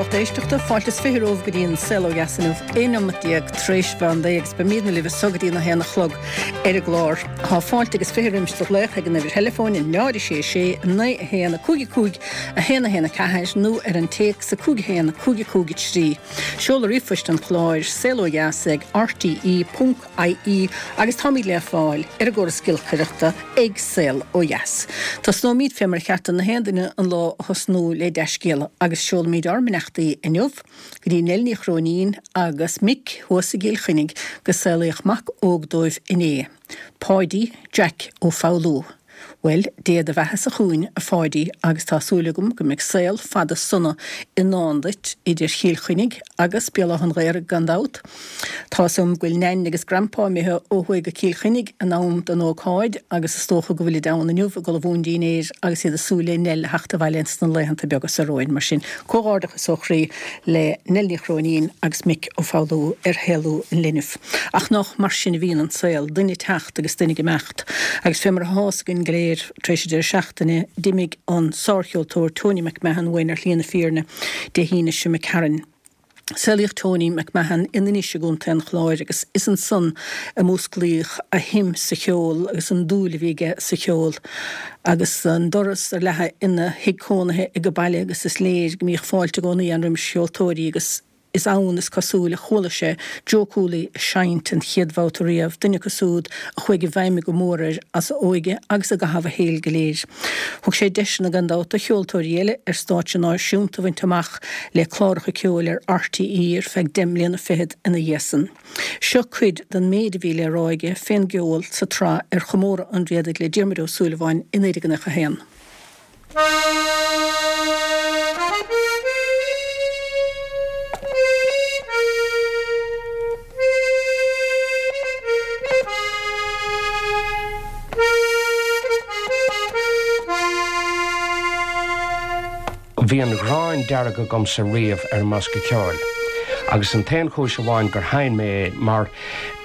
Lucht éisteachta, fáilte is 20 romhaibh go dtí an Saol Ó Dheas inniu, 11 neomat tar éis mheán lae agus beimidne libh anso go dtí an 1 a chlog ar an gclár. Tá fáilte agus 20 roimis do ghlaoch ag an uimhir theileafóin 0 6 6 9 1 5 5 1 1 4 nó ar an téacs 5 1 5 5 3. Seoladh ríomhphoist an chláir, saolodheas ag rte. ie agus táimid le fáil ar an gcóras giolcaireachta ag Saol Ó Dheas. Tosnóimid fé mar a cheart do na haon duine an lá a thosnú le dea-scéala agus seolaimid ár mbeannachtaí inniu go dtí Nell Ní Chróinín agus Mick thuas i gCill Chainnigh go saolaíodh mac óg dóibh inné, Páidí Jack Ó Foghlú. Bhuel, Dé do bheathasa chugainn, a Pháidí, agus tá súil agam go mbeidh saol fada sona i ndán duit, idir Chill Chainnigh agus Béal Átha an Ghaorthaidh gan dabht. Tá's agam go bhfuil Nain agus Grandpa imithe ó thuaidh go Cill Chainnigh in am don ócáid agus is dócha go bhfuilid ann inniu ag ullmhú an dinnéir agus iad ag súil le Nell a theacht abhaile ins na laethanta beaga so romhainn. Mar sin, comhghairdeachas ó chroí le Nell Ní Chróinín agus Mick Ó Foghlú ar shaolú an linbh. Ach nách mar sin a bhíonn an saol, duine ag teacht agus duine ag imeacht. Agus fé mar athá fhios againn go léir, tar éis an deireadh seachtaine, d'imigh an sárcheoltóir Tony MacMahon uainn ar shlí na fírinne Dé hAoine seo imigh tharainn. Saolaíodh Tony MacMahon in Inis i gContae an Chláir agus is ansan a músclaíodh a shuim sa cheol agus an dúil a bhí aige sa cheol. Agus an doras ar leathadh ina thigh cónaithe age baile agus is léir go mbíodh fáilte i gcónaí ann roimis cheoltóirí agus Is ann, is cosúil, a chuala sé Joe Cooley ag seinnt an chéad bhabhta riamh, duine acu súd a chuaigh i bhfeidhm go mór air as a óige agus i gcaitheamh a shaoil go léir. Thug sé deiseanna gan dabht do cheoltóirí eile ar stáitse náisiúnta a bhaint amach le cláracha ceoil ar RTÉ ar feadh deich mbliana fichead ina dhiaidh san. Seo cuid den méid a bhí le rá aige fén gceol sa tsraith ar chomóradh an Riadaigh le Diarmuid Ó Súilleabháin i 1991. Bhí an ghráin dearg agamsa riamh ar an mbosca ceoil, agus an t-aon chúis amháin gur sheinn mé é mar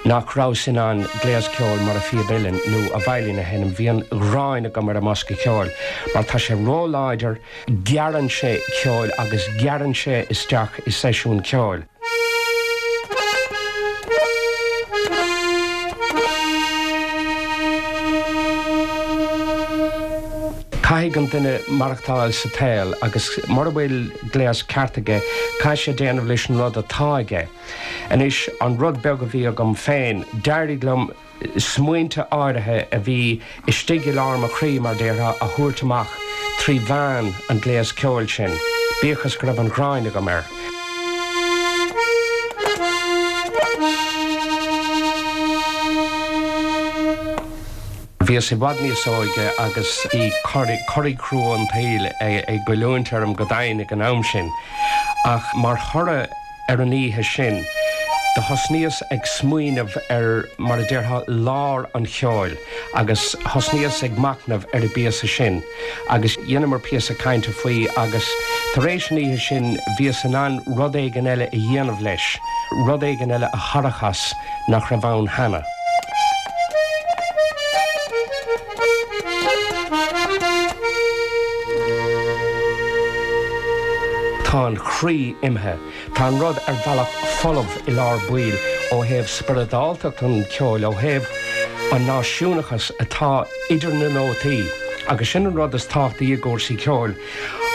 nach rabhas in ann gléas ceoil mar an phíob uilleann nó an veidhlín a sheinm, bhí an ghráin agam ar an mbosca ceoil mar tá sé ró-láidir, gearrann sé ceol agus gearrann sé isteach i seisiún ceoil. Caithfidh an duine maireachtáil sa tsaol agus mura bhfuil gléas ceart aige, caithfidh sé déanamh leis an rud atá aige. Anois, an rud beag a bhí agam féin, d'éirigh liom smaointe áirithe a bhí istigh i lár mo chroí, mar déarfá, a thabhairt amach trí mheán an ghléas ceoil sin, bíodh is go raibh an ghráin agam air. Bhíos i bhfad níos óige agus bhí curaí crua an tsaoil ag goilliúint orm go domhain ag an am sin, ach mar thoradh, Ar an oíche sin, do thosnaíos ag smaoineamh ar, mar a déarfá, lár an cheoil agus thosnaíos ag machnamh ar an bpíosa sin agus dheineamar píosa cainte faoi agus tar éis an oíche sin bhíos in ann rud éigin eile a dhéanamh leis, rud éigin eile a tharrac as nach raibh ann cheana. Tá an croí imithe. Tá an rud ar bhealach folamh i lár baill ó thaobh spioradáltacht an cheoil, ó thaobh an náisiúnachas atá idir na nótaí. Agus sin an rud is tábhachtaí i gcúrsaí ceoil,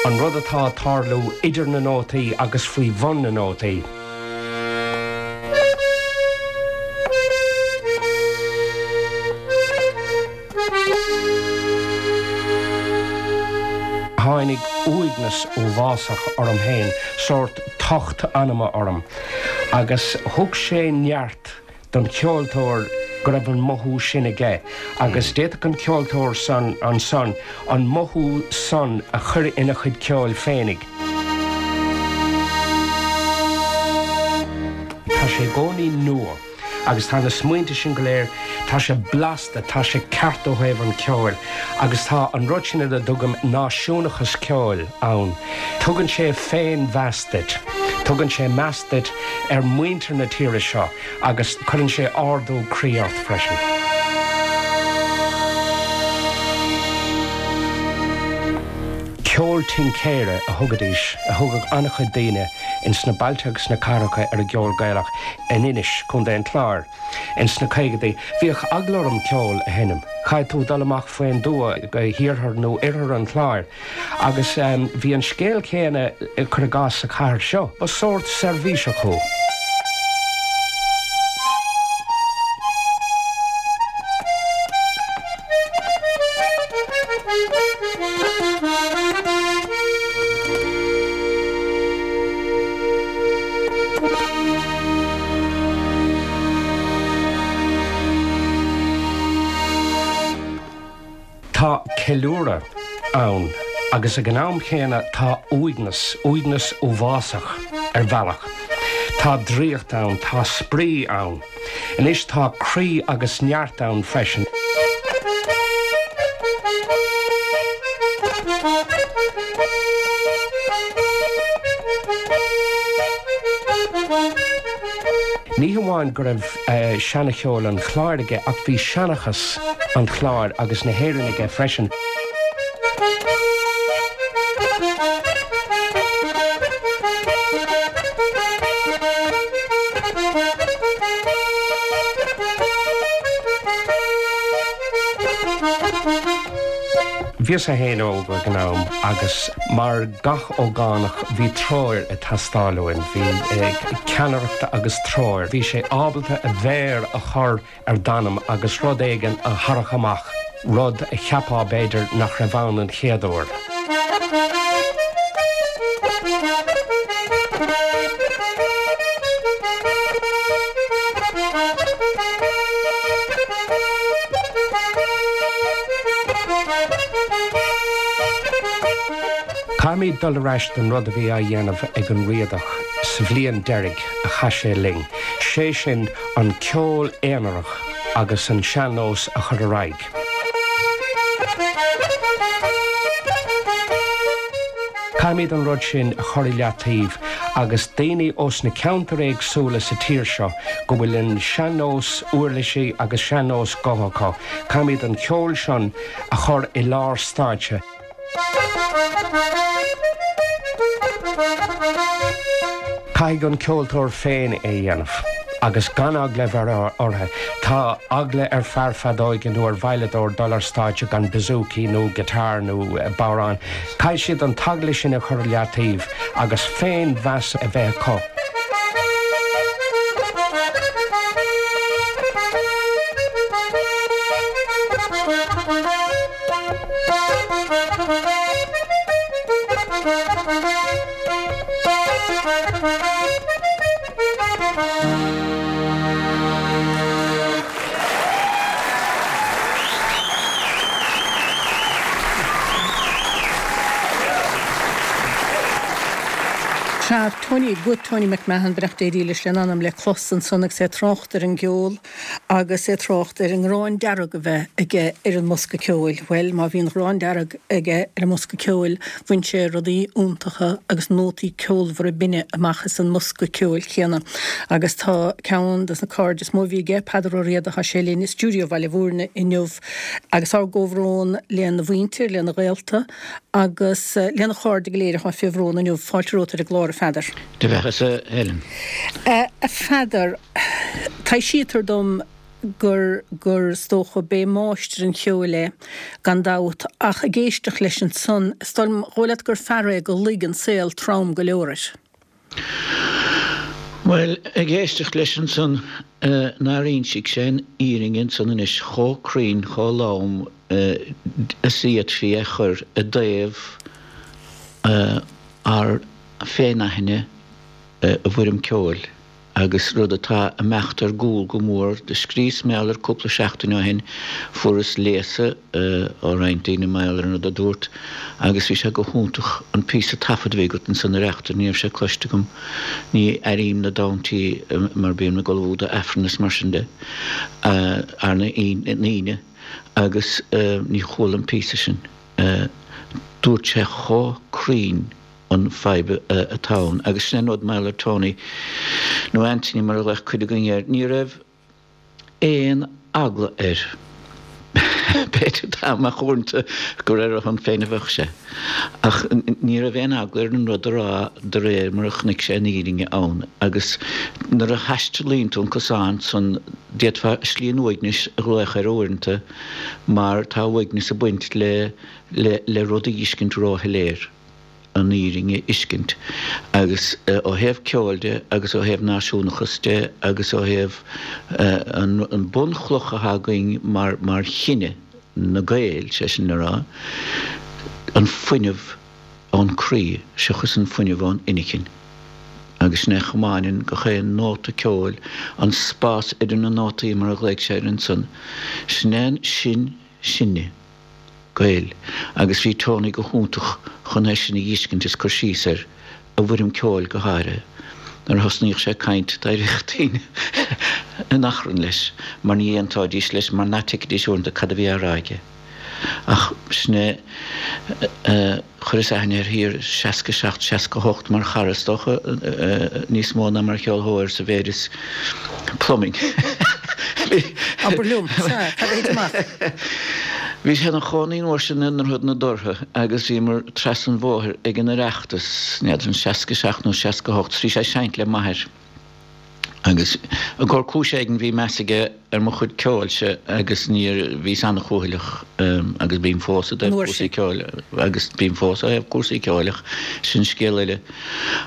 an rud atá ag tarlú idir na nótaí agus faoi bhun na nótaí. Tháinig uaigneas uafásach orm féin, sórt tocht anama orm, agus thug sé neart don cheoltóir go raibh an mothú sin aige, agus d'fhéadfadh an ceoltóir san ansan an mothú san a chur ina chuid ceoil féinig. Tá sé i gcónaí nua. Agus tá na smaointe sin go léir, tá sé blasta, tá sé ceart ó thaobh an cheoil agus tá an rud sin ar a dtugaim náisiúnachas ceoil ann. Tugann sé féinmheas duit, tugann sé meas duit ar mhuintir na tíre seo agus cuireann sé ardú croí ort freisin. Ceol tincéara a thugaidís, a thugadh an-chuid daoine ins na bailte agus sna cathracha ar an gceol Gaelach in Inis, Contae an Chláir, ins na caogadaí. Bhíodh eagla orm ceol a sheinm. Chaithfeadh tú dul amach faoin dtuath go hiarthar nó oirthear an Chláir. Agus bhí an scéal céanna, cuir i gcás, sa chathair seo. Ba sórt seirbhíseach thú. Tá ceiliúradh ann agus ag an am chéanna tá uaigneas, uaigneas uafásach ar bhealach. Tá draíocht ann, tá spraoi ann. Anois tá croí agus neart ann freisin. Ní hamháin go raibh seana-cheol an Chláir aige ach bhí seanchas an Chláir agus na hÉireann aige freisin. Bhíos-sa fhéin óg ag an am agus mar gach ógánach bhí treoir ag teastáil uaim, bhí ceannaireacht agus treoir. Bhí sé ábalta a mhéar a chur ar d'anam agus rud éigin a tharrac amach, rud a cheapfá b'fhéidir nach raibh ann an chéad uair. Caithfimid dul ar ais don rud a bhí á dhéanamh ag an Riadach sa bhliain deiridh a chaith sé linn, sé sin an ceol aonarach agus an sean-nós a chur ar aghaidh. Caithfimid an rud sin a chur i leataobh agus daoine ós na ceantair éagsúla sa tír seo go bhfuil an sean-nós uirlisí agus sean-nós gutha acu, caithfimid an ceol sin a chur i lár stáitse. Caithfidh an ceoltóir féin é a dhéanamh agus gan eagla a bheith orthu. Tá eagla ar fear feadóige nó ar veidhleadóir dul ar stáitse gan bouzouki nó guitar nó bodhrán. Caithfidh siad an t-eagla sin a chur i leataobh agus féin-mheas a bheith acu. Sea, Tony, guth Tony McMahon, beannacht Dé dhílis lena anam le clos ansan agus é ag trácht ar an gceol. Agus é ag trácht ar an nGráin Dearg a bheith aige ar an mbosca ceoil, bhuel, má bhí an Ghráin Dearg aige ar an mbosca ceoil, bhain sé rudaí iontacha agus nótaí ceolmhara binne amach as an mbosca ceoil céanna. Agus tá ceann des na cairde is mó a bhí aige, Peadar Ó Riada, tá sé linn i stiúideo Bhaile Bhúirne inniu. Agus ár gcomhbhrón lena mhuintir, lena ghaolta agus lena chairde go léir atá fé bhrón inniu. Fáilte romhat ar an gclár, a Pheadair. Do bheathasa, a Helen. A Pheadair, taibhsítear dom gur, gur, is dócha, b'é máistir an cheoil é, gan dabht, ach ag éisteacht leis ansan, is dóigh leat gur fear é gur luigh an saol trom go leor air. Bhuel, ag éisteacht leis ansan, nár insigh sé an fhírinne ansan anois chomh cruinn, chomh lom is a d'fhéadfaí é chur i dtaobh ár féinaithne i bhfoirm ceoil agus rud atá ag imeacht ar gcúl go mór. Do scríos mar gheall air cúpla seachtain ó shin, fuaireas léasadh ó roinnt daoine mar gheall ar an rud a dúrt agus bhí sé go hiontach an píosa taifead a bhí agat ansan a Reachtaire, ní raibh sé cloiste agam, ní airím na dámhtaí mar bím ag ullmhú do Aifreann is mar sin de arna Aoine agus ní chuala an píosa sin. Dúirt sé chomh cruinn. an fadhb atá ann. Agus sin é an rud mar gheall ar Tony, nó Anthony mar a ghlaodh cuid againn air, ní raibh aon eagla air. B'fhéidir dá mbeadh uaireanta gur ar a shon féin a bheadh sé. Ach ní raibh aon eagla air an rud a rá de réir mar a chonaic sé an fhírinne ann. Agus nuair a thaistealaíonn tú an cosán san, d'fhéadfá slí an uaignis a ghlaoch air uaireanta mar tá uaigneas ag baint le le rud a dh'fheiscint róshoiléir. an fhírinne a fheiscint. Agus ó thaobh ceoil de agus ó thaobh náisiúnachas de agus ó thaobh an bunchloch atá againn mar mar chine, na Gaeil, sé sin le rá, an fuinneamh ón croí seachas an fuinneamh ón inchinn. Agus sin é a chomáineann gach aon nóta ceoil, an spás idir na nótaí mar a ghlaoigh sé air ansan. Sin é sin sinne. Gaeil, agus bhí Tony go hiontach chun é sin a dh'fheiscint is cur síos air, i bhfoirm ceoil go háirithe. Nuair a thosnaíodh sé ag caint, d'éiríodh daoine in achrann leis mar ní aontóidís leis mar ná tuigfidís uaireanta cad a bhí á rá aige. Ach sin é, chuireas aithne air thiar i 67, 68 mar chara is dócha, níos mó ná mar cheolthóir sa mhéid is plumbing. Abair liom, sea, cad a thit amach? Bhí sé ina chónaí an uair sin i nDroichead na Dúrtha agus bhíomar trasna an bhóthair ag an Oireachtas, n'fheadar an 67 nó 68, 's bhí sé ag seinnt le m'athair. Agus i gcomhair cúis éigin bhí meas aige ar mo chuid ceoilse agus níor, bhíos an-chúthaileach agus bím fós i dtaobh cúrsaí ceoil agus bím fós ó thaobh cúrsaí ceoil ach sin scéal eile.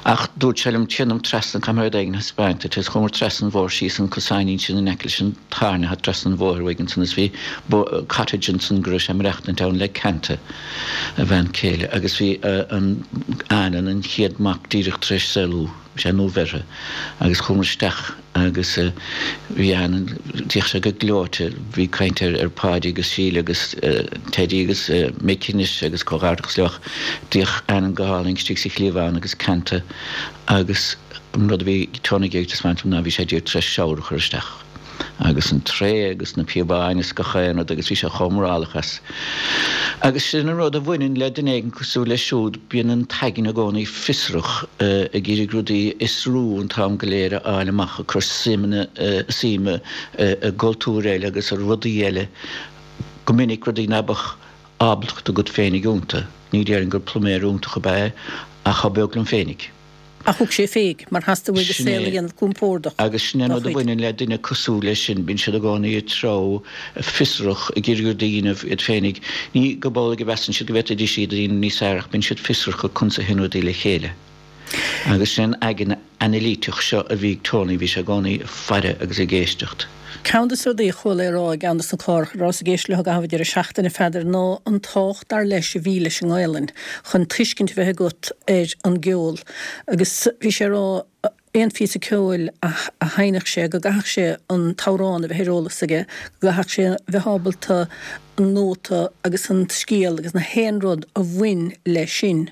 Ach dúirt sé liom téanam trasna, caithfidh mé rud éigin a thaispeáint duit agus chuamar trasna an bhóthair síos an cosáinín sin in aice leis an tairne atá trasna an bhóthair uaidh ansan is bhí cottage ansan go raibh sé ag maireachtaint ann le Canta, a bhean chéile agus bhí an Annan, an chéad mac díreach tar éis saolú. Bhí sé nuabheirthe agus chuamar isteach agus bhí Annan, d'fhéach sé go gleoite, bhí caint ar ar Pháidí agus Síle agus Teidí agus Mick anois agus comhghairdeachas leo ach d'fhéach Annan go hálainn istigh sa chliabhán agus Canta agus an rud a bhí Tony ag iarraidh taispeáint dom ná bhí sé díreach tar éis shower a chur isteach. agus an tray agus na píobáin is gach aon rud agus bhí sé chomh morálach as. Agus sin an rud a bhaineann le duine éigin cosúil leis siúd, bíonn an t-aigne i gcónaí fiosrach, ag iarraidh rudaí a fhiosrú an t-am go léir a fháil amach, ag cur suime i gcultúir eile agus i rudaí eile, go minic rudaí ná beadh ábaltacht agat féinig iontu. Ní déarfainn gur pluiméir iontach ab ea é ach chomh beag liom féinig. Ach thug sé fé mar theastaigh uaidh a Sin saol a é. dhéanamh compordach Agus sin é an dá rud a chuid. bhaineann le duine cosúil leis sin, bíonn siad i gcónaí ag treabhadh, fiosrach, ag iarraidh rudaí a dhéanamh iad féinig. Ní gurb amhlaidh a mheasann siad go bhféadfaidís iad a dhéanamh níos fearr ach bíonn siad fiosrach conas a théann rudaí le chéile. Agus sin an aigne anailíteach seo a bhí ag Tony, bhí sé i gcónaí ag faire agus ag éisteacht. Ceann de na rudaí a chuala é a rá i gceann de na cláracha a rabhas ag éisteacht leo i gcaitheamh an deireadh seachtaine, a Pheadair, ná an tábhacht dar leis a bhí leis an nGaelainn chun tuiscint a bheith agat ar an gceol agus bhí sé a rá aon phíosa ceoil a sheinnfeadh sé go gcaithfeadh sé an t-amhrán a bheith ar eolas aige, go gcaithfeadh sé a bheith ábalta an nóta agus an scéal agus na haon rud a bhain leis sin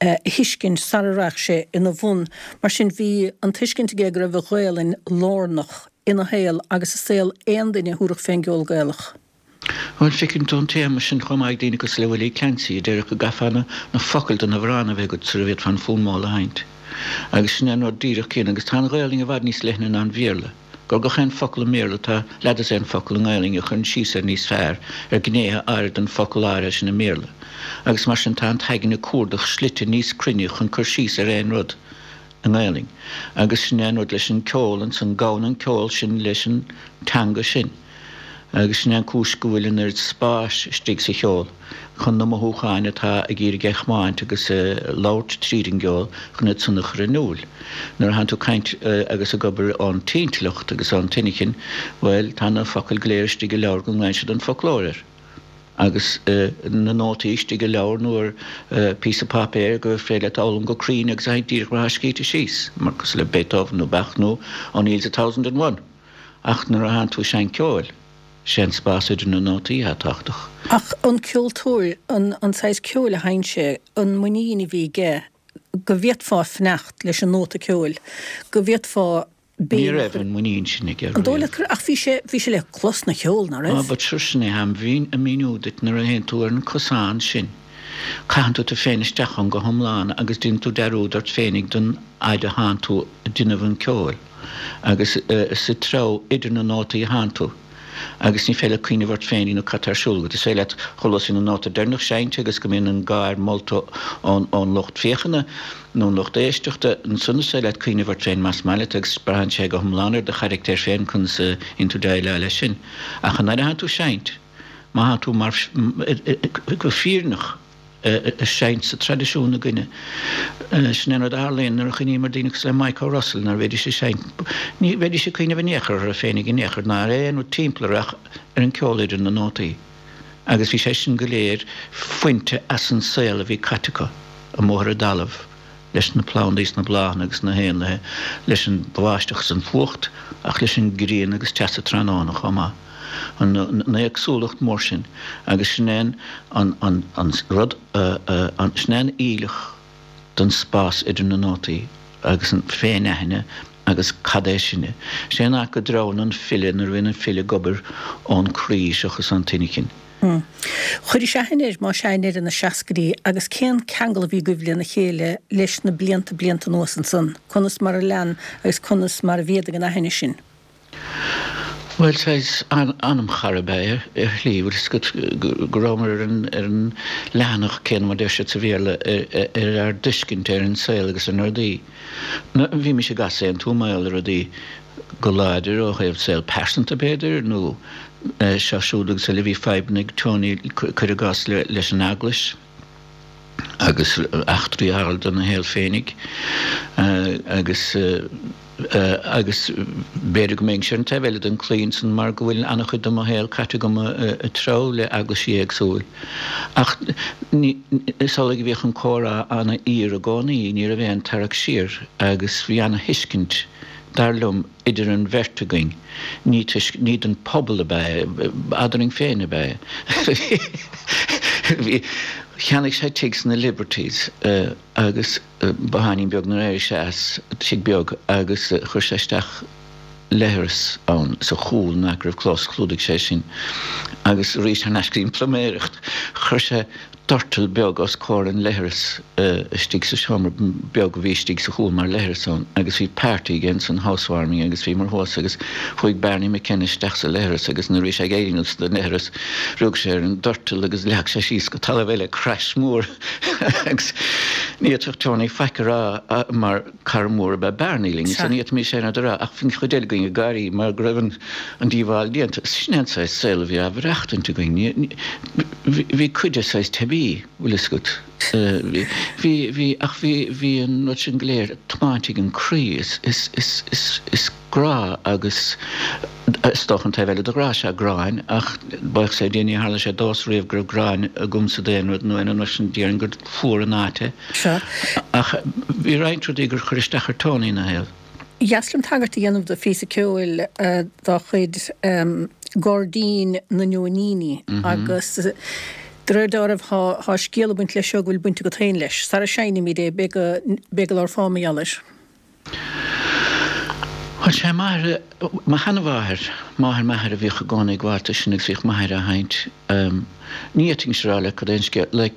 a thuiscint sara rachadh sé ina bhun. Mar sin bhí an tuiscint aige go raibh an Ghaelainn lárnach ina shaol agus i saol aon duine a thabharfadh fén gceol Gaelach. Bhuel, feiceann tú an téama sin chomh maith ag daoine cosúil le Willie Clancy, a déarfadh go gcaithfeá na focail don amhrán a bheith agat sara bhféadfá an fuaimeáil a sheinnt. Agus sin é an rud díreach céanna. Agus tá an Ghaelainn i bhfad níos leithne ná an Bhéarla. Gur gach aon focal i mBéarla tá leathdosaen focal i nGaelainn a chuireann síos air níos fearr, ar ghnéithe áirithe den focal áirithe sin i mBéarla. Agus mar sin tá an t-aigne ag cuardach slite níos cruinne chun cur síos ar aon rud i nGaelainn. Agus sin é an rud leis an ceol ansan, gabhann an ceol sin leis an teanga sin. Agus sin é an cúis go bhfuil an oiread spáis istigh sa cheol, chun na mothúcháin atá ag iarraidh é a chomáint agus a labhairt tríd an gceol chun iad san a chur in iúl. Nuair a thánn tú ag caint agus ag obair ón t-intleacht agus ón t-inchinn, bhuel, tá na focail go léir istigh i leabhar go nglaonn siad an foclóir air. Agus na nótaí istigh i leabhar nó ar phíosa páipéir gur féidir leat a fhoghlaim go cruinn agus a sheinnt díreach mar atá scríte síos, mar cosúil le Beethoven nó Bach nó O'Neill's A Thousand and One. Ach nuair a thánn tú ag seinnt ceoil, sé an spás idir na nótaí atá tábhachtach. Ach an ceoltóir, an saghas ceoil a sheinn sé, an muinín a bhí aige go bhféadfá fanacht leis an nóta ceoil, go bhféadfá Ní béim a raibh chur. an muinín sin aige An dóigh riamh. leat go raibh? Ach bhí sé, bhí sé le clos 'na cheol, ná Ah, raibh? but sure sin é tháim ag míniú duit nuair a théann tú ar an cosán sin, caitheann tú tú féin isteach ann go hiomlán agus déanann tú dearúd ort féinig don fhaid a thánn tú ag déanamh an ceoil. Agus sa treo idir na nótaí a thánn tú. Agus ní féidir leat cuimhneamh ort féin nó cad tá ar siúl agat. Is féidir leat chomh luath is a bhíonn an nóta deireanach seinnte agus go mbíonn an gáir molta ón lucht féachana nó an lucht éisteachta, ansan is féidir leat cuimhneamh ort féin más maith leat agus braitheann sé go hiomlán ar do charachtar féin conas a bhíonn tú déileáil leis sin. Ach an uair atánn tú ag seinnt, má thánn tú mar, go fírinneach, ag seinnt sa traidisiún againne. Sin é an rud a tharlaíonn nuair a chuimhním ar daoine cosúil le Mike O'Russell, nuair a bhídís ag seinnt, ní bheidís ag cuimhneamh in aon chor orthu féinig in aon chor, ná ar aon rud timpeall orthu ach ar an gceol idir na nótaí. Agus bhí sé sin go léir fuinte as an saol a bhí caite acu amuigh ar an dtalamh leis na plandaí is na bláthanna agus na héanlaithe, leis an bháisteach is an fuacht ach leis an ngrian agus teas an tráthnóna chomh maith. An éagsúlacht mór sin agus sin é an rud, sin é an fhuílleach don spás idir na nótaí agus an féin-aithne agus cad é sinne. Sé an áit go dtreabhann an file nuair a bhíonn an file ag obair ón croí seachas ón t-inchinn. Chuiris aithne air, más ea, i ndeireadh na seascaidí agus cén ceangal a bhí agaibh lena chéile leis na blianta blianta anuas ansan? Conas mar a lean agus conas mar a mhéadaigh an aithne sin? Bhuel, saghas anamchara ab ea é ar shlí, bhfuil fhios agat go rabhamar ar an ar an leathanach céanna, mar a deir siad sa Bhéarla, ar ár dtuiscint ar an saol agus ar na rudaí. Bhímis ag easaontú mar gheall ar rudaí go láidir ó thaobh saol pearsanta b'fhéidir nó seo siúd agus eile. Bhí fadhbanna ag Tony, cuir i gcás, leis an Eaglais agus eachtraí a tharla dona shaol féinig agus agus b'fhéidir go mbeinnse ar an taobh eile den chlaí ansan mar go bhfuil an-chuid de mo shaol caite agam ag treabhadh le eaglaisí éagsúil. Ach is amhlaidh a bhíodh an comhrá an-fhíor i gcónaí, ní raibh aon tarrac siar agus bhí an-thuiscint, dar liom, idir an bheirt againn, ní toisc, ní don phobal ab ea é, eadrainn féin ab ea é. Bhí, cheannaigh sé tigh sna Liberties agus botháinín beag nuair a d'éirigh sé as, tigh beag, agus chuir sé isteach leithreas ann sa chúl nach raibh clós, chlúdaigh sé sin agus arís thar n-ais go dtí an pluiméireacht, chuir sé doirteal beag os comhair an leithreas istigh sa seomra beag a bhí istigh sa chúl mar leithreas ann agus bhí party aige ansan, housewarming agus bhíomar thuas agus chuaigh Barney McKenna isteach sa leithreas agus nuair a bhí sé ag éirí anuas den leithreas rug sé ar an doirteal agus leag sé síos go talamh é le crash mór agus ní fhéadfadh Tony faic a rá mar cara mór ab ea Barney linn so ní fhéadfaimis aon rud a rá ach bhí an chuid eile againn ag gáirí mar go raibh an díobháil déanta. Sin é an saghas saol a bhí á mhaireachtaint againn. Bhí cuid de saghas teibí, bhfuil fhios agat. Bhí, bhí, ach bhí, bhí an rud sin go léir tiomáinte ag an croí. Is, is, is, is, is grá agus is dócha an taobh eile de ghrá is ea gráin ach buíochas le Dia ní tharla sé domhsa riamh go raibh gráin agamsa d'aon rud nó aon rud mar sin déarfainn gur fuar an áit é. Sea. Ach bhí roinnt rudaí gur chuir isteach ar Tony ina shaol. Ba dheas liom tagairt a dhéanamh do phíosa ceoil dá chuid, Gairdín na Nóiníní agus de réir dealraimh tá scéal ag baint leis seo go bhfuil baint agat féin leis. Sara seinnimid é, b'fhéidir go labharfá mar gheall air. Bhuel, sé m'athair, mo sheanmháthair, máthair m'athar a bhíodh i gcónaí ag gabháil dó sin agus bhíodh m'athair á sheinnt. Ní fhéadfainnse a rá leat cad é an scéal, like,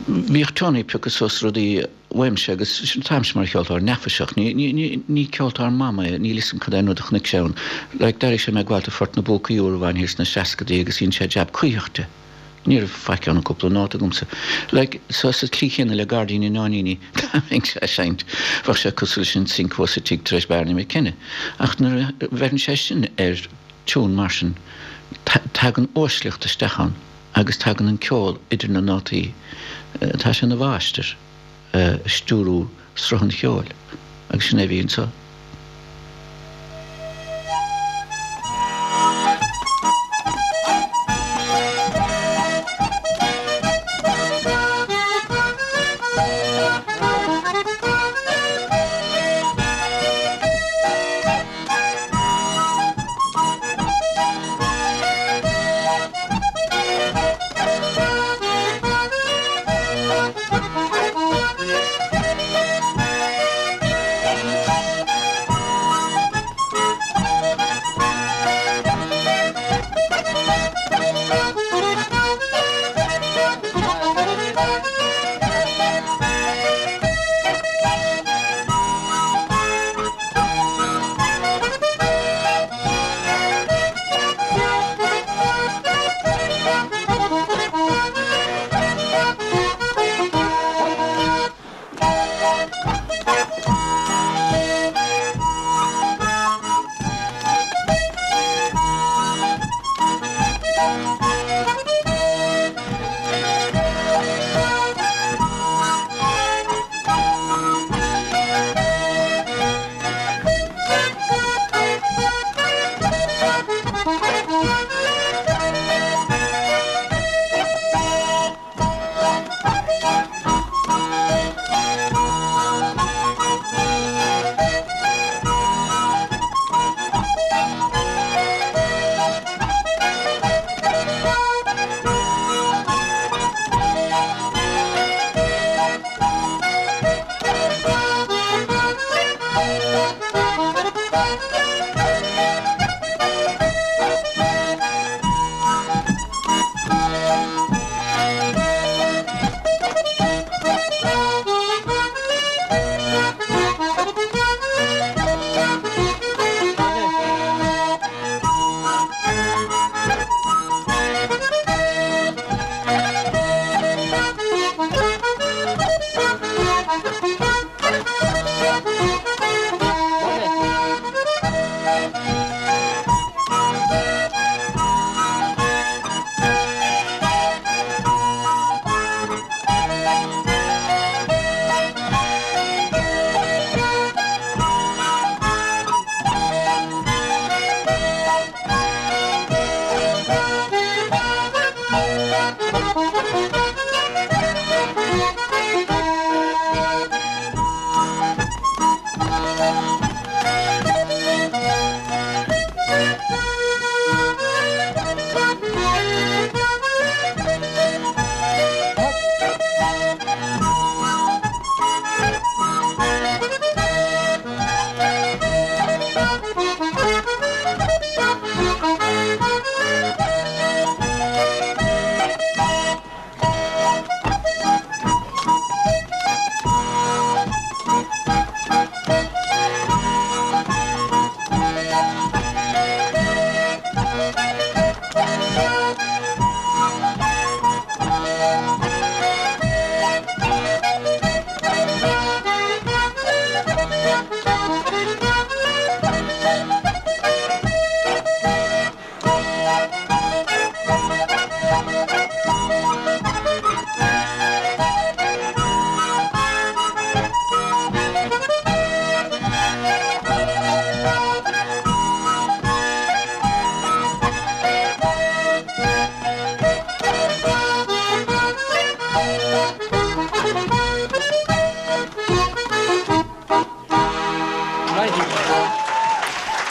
bhíodh Tony ag piocadh suas rudaí uaimse agus táimse mar cheoltóir neafaiseach, ní, ní, ní, ní ceoltóir maith mé, níl 'fhios a'm cad é an rud a chonaic sé ann. Like, d'airigh sé mé ag gabháil do Phort na bPúcaí uair amháin thiar sna seascadaí agus dhein sé jab cuíosach de. Ní raibh faic ann ach cúpla nóta agamsa. Like, so sa tslí chéanna le Gairdín na Nóiníní, dá mbeinnse á seinnt, bheadh sé cosúil leis an sinc thuas sa tigh tar éis Barney McKenna. Ach nuair a bheireann sé sin ar tiún mar sin, tagann uaisleacht isteach ann agus tagann an ceol idir na nótaí. Tá sé ina mháistir ag stiúrú sruth an cheoil agus sin é a bhí anseo.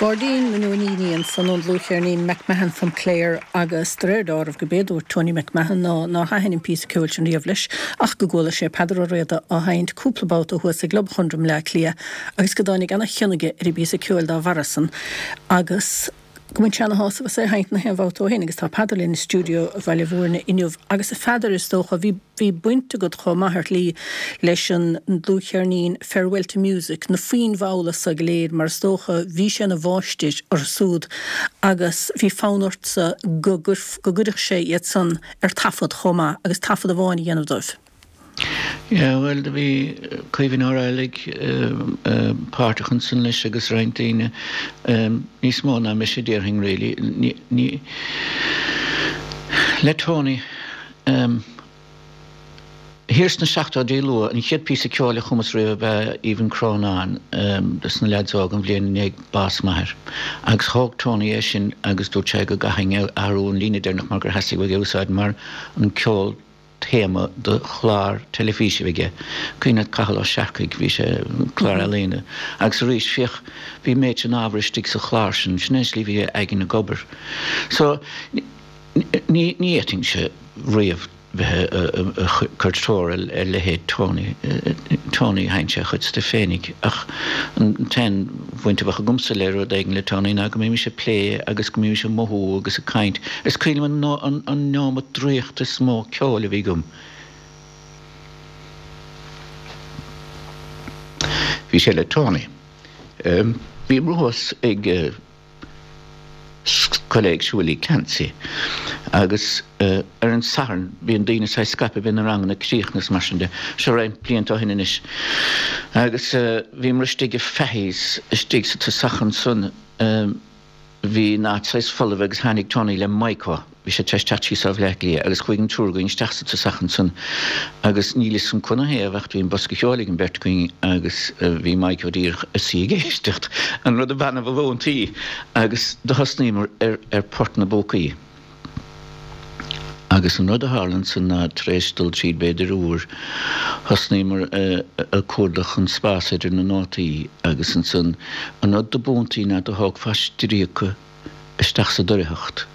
Gairdín na nDoiníní ansan ón dlúthcheirnín McMahon from Clare agus de réir dealraimh go b'é a dúirt Tony McMahon ná nár thaitin an píosa ceoil sin riamh leis ach go gcuala sé Peadar Ó Riada á sheinnt cúpla babhta thuas i gClub Chonradh i mBleá Cliath agus go dtáinig ana-chion aige ar an bpíosa ceoil dá bharra san agus go mbain sé ana-shásamh as é a sheinnt na haon bhabhta ó shin agus tá Peadar linn i stiúideo Bhaile Bhúirne inniu agus a Pheadair is dócha bhí bhí baint agat chomh maith ar shlí leis an ndlúthcheirnín Farewell to Music, na foinn mhalla so go léir mar is dócha bhí sé ina mháistir orthu súd agus bhí fonn ortsa go go gcuirfeadh sé iad san ar taifead chomh maith agus taifead amháin a dhéanamh dóibh. Yeah, bhuel, do bhí Caoimhín Ó Raghallaigh páirteach ansan leis agus roinnt daoine, níos mó ná mise déarfainn really. Ní, ní, le Tony, thiar sna seachtóidí luath, an chéad píosa ceoil a chumas riamh ab ea Even Crónán dos na leaids óga an bhliain i ndiaidh bás m'athair. Agus thóg Tony é sin agus dúirt sé go gcaithfinn athrú an líne deireanach mar gur theastaigh uaidh é a úsáid mar an ceol téama do chlár teilifíse a bhí aige, cuimhin leat Cathal Ó Searcaigh, bhí sé, clár ealaíne. Agus arís, féach, bhí an méid sin ábhar istigh sa chlár sin, sin é an tslí a bhí a aigne ag obair. So, ní, ní fhéadfainnse riamh bheith ag cur treoir ar leithéid Tony. Tony, sheinn sé a chuid stuif féinig ach an t-aon bhaint a bheadh agamsa le rud éigin le Tony ná go mbímis ag plé agus go mbímis ag mothú agus ag caint. Is cuimhin liom an an neomat draíochta is mó ceoil a bhí agam. Bhí sé le Tony. Bhíomar thuas ag Scoil Éigse Willie Clancy agus ar an Satharn bíonn daoine saghas scaipthe, bíonn na ranganna críochnaithe is mar sin de. Seo roinnt blianta ó shin anois. Agus bhíomar istigh i Fahy's istigh sa tosach ansan. Bhí an áit saghas folamh agus tháinig Tony le Maidhc. Bhí sé tar éis teacht síos ó Bhleá Cliath agus chuaigh an triúr againn isteach sa tosach ansan agus níl fhios agam canathaobh ach bhí an bosca ceoil ag an bheirt againn agus bhí Maidhc díreach ag suí ag éisteacht, an rud ab annamh a mhúintí, agus do thosnaíomar ar ar Port na bPúcaí. Agus an rud a tharla ansan ná tar éis dul tríd b'fhéidir uair, thosnaíomar ag cuardach an spás idir na nótaí agus ansan an rud do b'iontaí ná do thógfá stríoca isteach sa doircheacht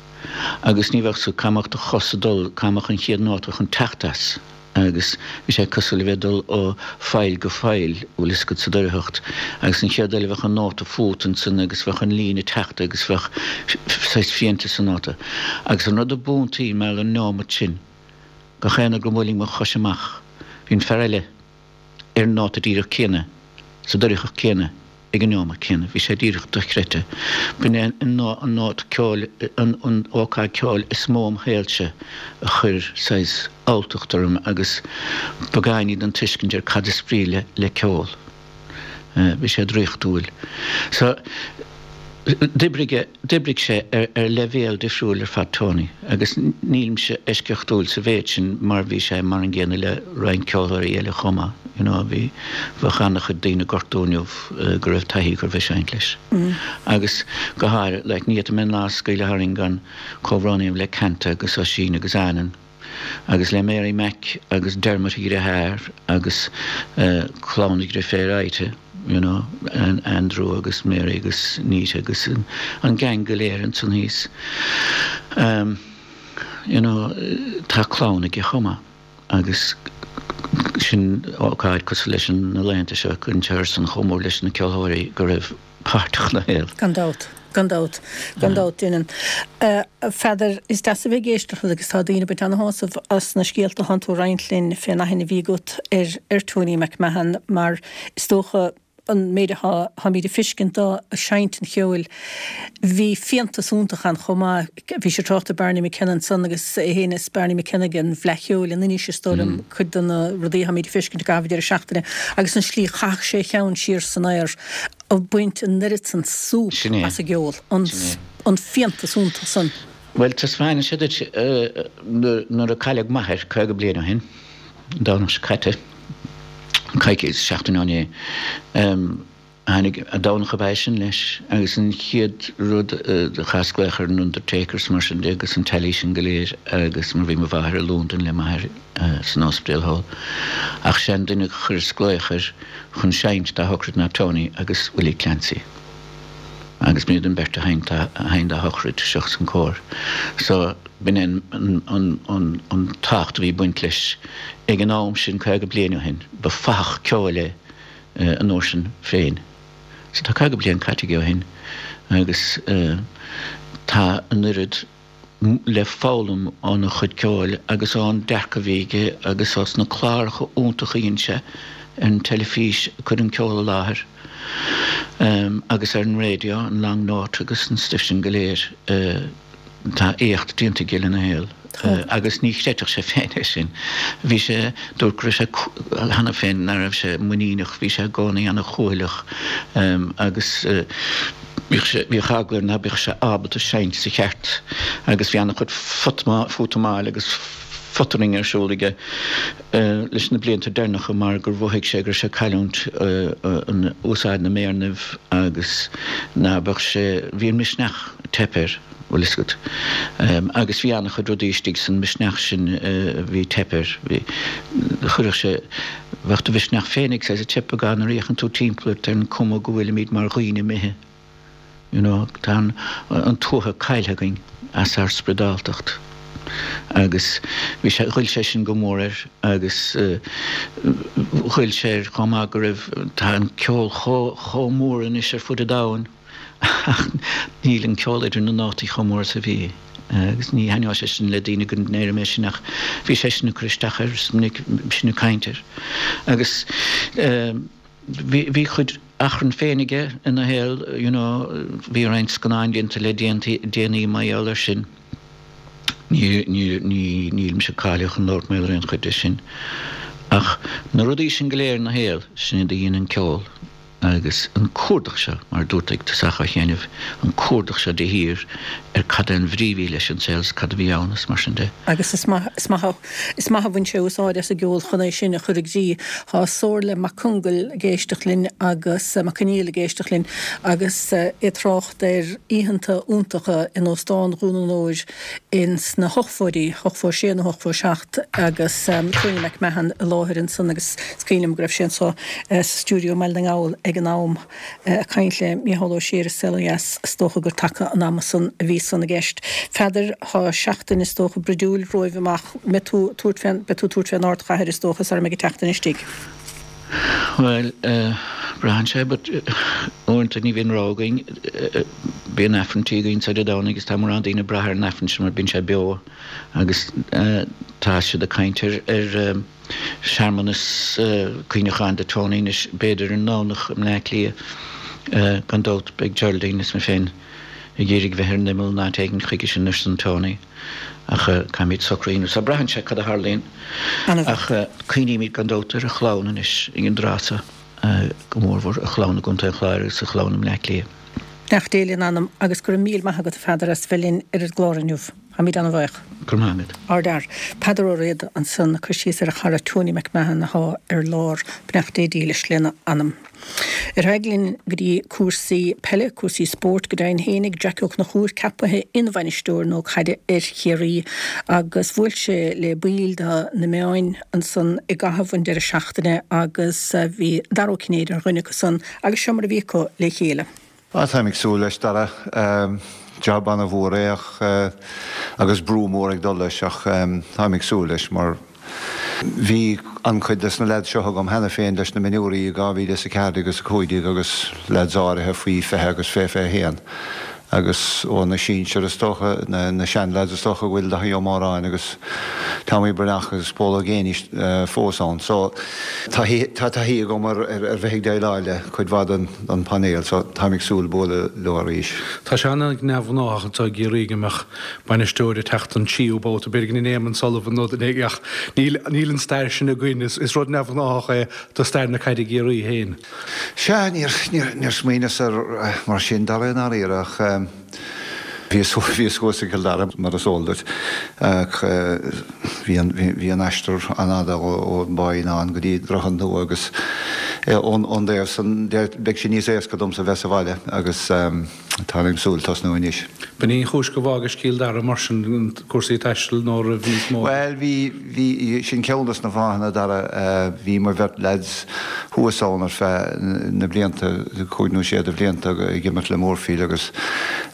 agus ní bheadh sa cá mbeadh do chos ag dul, cá mbeadh an chéad nóta chun teacht as agus bhí sé cosúil le bheith ag dul ó pholl go poll, bhfuil fhios agat, sa doircheacht agus an chéad eile bheadh an nóta fút ansan agus bheadh an líne ag teacht agus bheadh saghas fiántas sa nóta agus an rud a b'iontaí mar an neomat sin gach aon uair go mbuailfinn mo chois amach bhí an fear eile ar an nóta díreach céanna sa doircheacht céanna ag an neomat céanna. Bhí sé díreach dochreidte. B'in é an nóta ceoil, an ócáid ceoil is mó im shaolsa a chuir saghas alltacht orm agus beagáinín den tuiscint ar cad is brí le ceol. Bhí sé draíochtúil. So. D'oibrigh, d'oibrigh sé ar leibhéal difriúil ar fad Tony, agus nílimse eisceachtúil sa mhéid sin mar bhí sé mar an gcéanna le roinnt ceoltóirí eile chomh maith, you know, bhí, bheadh an-chuid daoine ag gortú inniu go raibh taithí acu bheith seinnt leis. Agus go háirithe, like, ní fhéadfaidh mé an lá a scaoileadh tharainn gan comhbhrón a dhéanamh le Kanta agus Oisín agus Anand. Agus le Mary Mac agus Dermot a dhriotháir agus clann a dhriféar Ita, you know, Andrew agus Mary agus Nita agus an gang go léir ansan thíos. You know, tá clann aige chomh maith agus sin ócáid cosúil leis na laethanta seo, cuireann sé orthusan chomh mór leis na ceoltóirí go raibh páirteach ina shaol. Gan dabht. Gan dabht. Gan dabht, déanann. A Pheadair, is deas a bheith ag éisteacht leat agus tá daoine ag baint ana-shásamh as na scéalta atánn tú a roinnt linn fén aithne a bhí agat ar ar Tony McMahon mar is dócha an méid atá táimid ag feiscint dó ag seinnt an cheoil bhí fiántas iontach ann chomh maith. Bhís ag trácht ar Barney McKenna ansan agus é féin is Barney McKenna ag an bhFleadh Cheoil in Inis is dóigh liom cuid de na rudaí atáimid ag feiscint i gcaitheamh an deireadh seachtaine agus an slí chaitheadh sé a cheann siar san aer ag baint an oiread san súp Sin é. as an gceol, an Sin é. an fiántas iontach san. Bhuel, taispeánfaidh sé duit nuair a cailleadh m'athair 50 bliain ó shin, an Domhnach seo caite, coicís, seachtain ó inné, tháinig, an Domhnach ab ea sin leis, agus an chéad rud, chaitheas glaoch ar an undertaker is mar sin de agus an teailí sin go léir agus mar bhí mo mháthair i Londain le m'athair san ospidéal thall, ach sé an duine a chuireas glaoch air chun seinnt dá shocraid ná Tony agus Willie Clancy. Agus b'iad an bheirt a sheinn dá shochraid seachas an cór. So b'in é an tábhacht a bhí ag baint leis ag an am sin 50 bliain ó shin. Ba fathach ceoil é an uair sin féin. So tá 50 bliain caite aige ó shin agus tá an oiread le foghlaim óna chuid ceoil agus ón dearcadh a bhí aige agus ós na cláracha iontacha a dhein sé ar an teilifís ag cur an ceol i láthair agus ar an raidió, an Long Note agus an stuif sin go léir. Tá éacht déanta aige lena shaol agus ní chreidfeadh sé féin é sin. Bhí sé, dúirt go raibh sé cheana féin nach raibh sé muiníneach, bhí sé i gcónaí ana-chúthaileach agus. Bhíodh sé, bhíodh eagla air ná beadh sé ábalta seinnt sa cheart agus bhí an-chuid fútamáil agus fottering ar siúl aige leis na blianta deireanacha mar gur mhothaigh sé go raibh sé ag cailliúint an úsáid na méarnaibh agus ná beadh sé, bhí an misneach ag teip air, bhfuil fhios agat. Agus bhí an-chuid rudaí istigh san misneach sin a bhí ag teip air. Bhí, chuirfeadh sé, bheadh do mhisneach féin ag saghas ag teip ag nuair a fhéachann tú timpeall ort ar an cuma go bhfuilimid mar dhaoine imithe. You know, tá an, an tuaithe caillthe againn as ár spioradáltacht. Agus bhí sé, ghoill sé sin go mór air agus ghoill sé air chomh maith go raibh, tá an ceol chomh, chomh mór anois ar fud an domhain. Ach níl an ceol idir na nótaí chomh mór is a bhí. Agus ní thaitneoidh sé sin le daoine go ndeirim é sin ach bhí sé sin ag cur isteach air is minic sin ag caint air. Agus bhí bhí chuid achrann féin aige ina shaol you know bhí roinnt scannáin déanta le déanaí mar gheall air sin. Ní ní ní nílimse cáilithe chun labhairt mar gheall ar aon chuid de sin. Ach na rudaí sin go léir ina shaol, sin iad a dhein an ceol. Agus an cuardach seo, mar a dúirt ag tosach á sheinneamh, an cuardach seo de shíor ar cad é an bhrí a bhí leis an saol is cad a bhí ann is mar sin de. Agus is maith, is maith, is maith a bhain sé úsáid as an gceol chun é sin a chur i gcrích. Tá Somhairle Mac Congail ag éisteacht linn agus, Mac Conghail ag éisteacht linn agus é ag trácht ar oícheanta iontacha in Óstán Dhún an Óir ins na hochtóidí, 86 nó 87, agus Tony McMahon i láthair ansan agus is cuimhin liom go raibh sé anso sa stiúideo i mBaile na nGall ag an am ag caint le Mícheál Ó Sé ar An Saol Ó Dheas, is dócha gur taca an ama san a bhí san i gceist. Pheadair, tá seachtain is dócha bruidiúil romhaibh amach, mbeidh tú ag tabhairt fén, beidh tú ag tabhairt fén ardchathair is dócha sara mbeidh an tseachtain istigh? Bhuel, braitheann sé, but uaireanta ní bhíonn rogha againn. Bíonn Aifreann tí againn Dé Domhnaigh agus tá mórán daoine ag brath ar an Aifreann sin mar bíonn sé beo agus tá siad ag caint ar ar searmanas cuimhneacháin do Tony anois b'fhéidir ar an nDomhnach i mBleá Cliath. Gan dabht beidh Geraldine is mé féin ag iarraidh bheith ar an imeall in áit éigin chuige sin ar son Tony. Ach caithfimid socrú a dhéanamh. So braitheann sé cad a tharlaíonn. Ach cuimhnímid gan dabht ar a chlann anois ag an dtráth seo, go mórmhór a chlann i gContae an Chláir agus a chlann i mBleá Cliath. Beannacht Dé lena anam agus go raibh míle maith agat a Pheadair as bheith linn ar an gclár inniu. Táimid an-bhuíoch. Go raibh maith agat. Ardfhear. Peadar Ó Riada ansan ag cur síos ar a chara Tony McMahon athá ar lár. Beannacht Dé dílis lena anam. Ar aghaidh linn go dtí cúrsaí peile, cúrsaí spóirt go deimhin fhéinig, Jackie Ó Conchúir ceapaithe ina bhainisteoir nua caide ar Chiarraí agus bhuail sé le baill de na meáin ansan i gcaitheamh an deireadh seachtaine agus bhí Dara Ó Cinnéide ar dhuine acu san agus seo mar a bhí acu le chéile. Ah, táim ag súil leis, Dara. Job ana-mhór é ach, agus brú mór ag dul leis ach táim ag súil leis mar bhí an-chuid des na leaids seo agam cheana féin leis na mionúirí i 2014 agus 15 agus leaids áirithe faoi 20 agus fé 21 agus ó na sinsir is dócha, na sean-leaids is dócha go bhfuil Daithí Ó Móráin agus Tommy Breathnach agus Pól Ó Géibheannaigh fós ann. So tá taithí agam ar bheith ag déileáil le cuid mhaith den an painéal so táim ag súil bualadh leo arís. Tá sé an-neamhghnách anseo i gCiarraí go mbeadh bainisteoir ag teacht an tríú babhta, b'fhéidir go ndeineann Éamonn Sullivan nó duine éigin ach níl níl an stair sin againn. Is rud neamhghnách é do stair na caide i gCiarraí féin. Sea, níor níor níor smaoineas air mar sin Dara i ndáiríre ach bhíos bhíos thuas i gCill Dara mar is eol duit ach bhí an bhí an aistear an-fhada ón bPáidhín go dtí Droichead Nua agus ón dtaobh san de beidh sé níos éasca domsa bheith sa bhaile agus táim ag súil tosnú anois. B'in í an chúis go bhfágais Cill Dara mar sin, cúrsaí taistil nó raibh níos mó? Bhuel bhí, bhí, sin ceann dos na fáthanna Dara, bhí mo bheirt leaids thuas ann ar feadh na blianta, cúig nó sé de bhlianta ag imirt le Moorefield agus